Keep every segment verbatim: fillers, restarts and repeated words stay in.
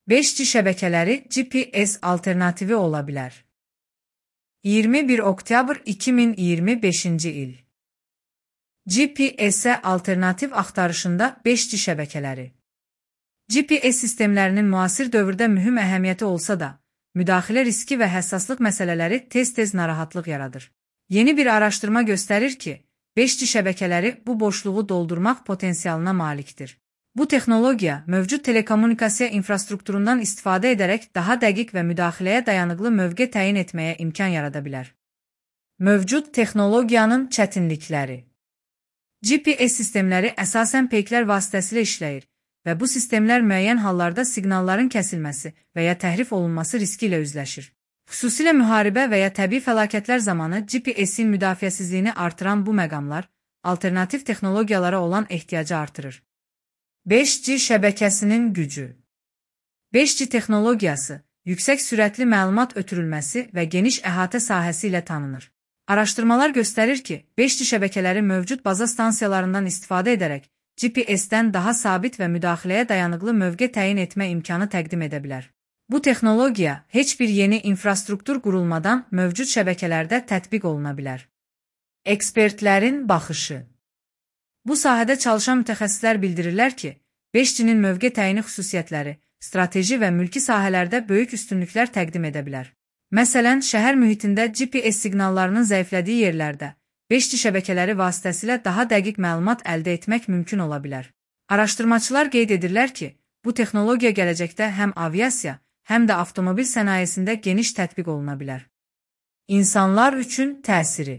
beş G şəbəkələri G P S alternativi ola bilər. iyirmi bir oktyabr iki min iyirmi beşinci il. G P S-ə alternativ axtarışında beş G şəbəkələri. G P S sistemlərinin müasir dövrdə mühüm əhəmiyyəti olsa da, müdaxilə riski və həssaslıq məsələləri tez-tez narahatlıq yaradır. Yeni bir araşdırma göstərir ki, beş G şəbəkələri bu boşluğu doldurmaq potensialına malikdir. Bu texnologiya mövcud telekommunikasiya infrastrukturundan istifadə edərək daha dəqiq və müdaxiləyə dayanıqlı mövqe təyin etməyə imkan yarada bilər. Mövcud texnologiyanın çətinlikləri. G P S sistemləri əsasən peyklər vasitəsilə işləyir və bu sistemlər müəyyən hallarda siqnalların kəsilməsi və ya təhrif olunması riski ilə üzləşir. Xüsusilə müharibə və ya təbii fəlakətlər zamanı G P S-in müdafiəsizliyini artıran bu məqamlar alternativ texnologiyalara olan ehtiyacı artırır. beş G şəbəkəsinin gücü. beş G texnologiyası yüksək sürətli məlumat ötürülməsi və geniş əhatə sahəsi ilə tanınır. Araşdırmalar göstərir ki, beş G şəbəkələri mövcud baza stansiyalarından istifadə edərək G P S-dən daha sabit və müdaxiləyə dayanıqlı mövqe təyin etmə imkanı təqdim edə bilər. Bu texnologiya heç bir yeni infrastruktur qurulmadan mövcud şəbəkələrdə tətbiq oluna bilər. Ekspertlərin baxışı. Bu sahədə çalışan mütəxəssislər bildirirlər ki, beş G-nin mövqe təyini xüsusiyyətləri, strateji və mülki sahələrdə böyük üstünlüklər təqdim edə bilər. Məsələn, şəhər mühitində G P S siqnallarının zəiflədiyi yerlərdə beş G şəbəkələri vasitəsilə daha dəqiq məlumat əldə etmək mümkün ola bilər. Araşdırmaçılar qeyd edirlər ki, bu texnologiya gələcəkdə həm aviasiya, həm də avtomobil sənayesində geniş tətbiq oluna bilər. İnsanlar üçün təsiri.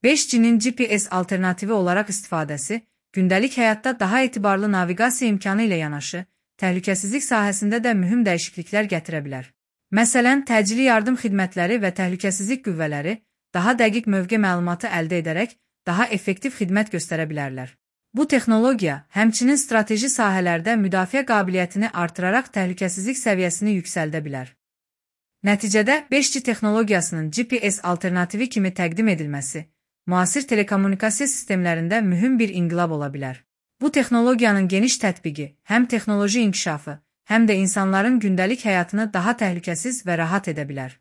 beş G-nin G P S alternativi olaraq istifadəsi, gündəlik həyatda daha etibarlı naviqasiya imkanı ilə yanaşı, təhlükəsizlik sahəsində də mühüm dəyişikliklər gətirə bilər. Məsələn, təcili yardım xidmətləri və təhlükəsizlik qüvvələri daha dəqiq mövqe məlumatı əldə edərək daha effektiv xidmət göstərə bilərlər. Bu texnologiya həmçinin strateji sahələrdə müdafiə qabiliyyətini artıraraq təhlükəsizlik səviyyəsini yüksəldə bilər. Nəticədə beş G texnologiyasının G P S alternativi kimi təqdim edilməsi, müasir telekommunikasiya sistemlərində mühüm bir inqilab ola bilər. Bu texnologiyanın geniş tətbiqi həm texnoloji inkişafı, həm də insanların gündəlik həyatını daha təhlükəsiz və rahat edə bilər.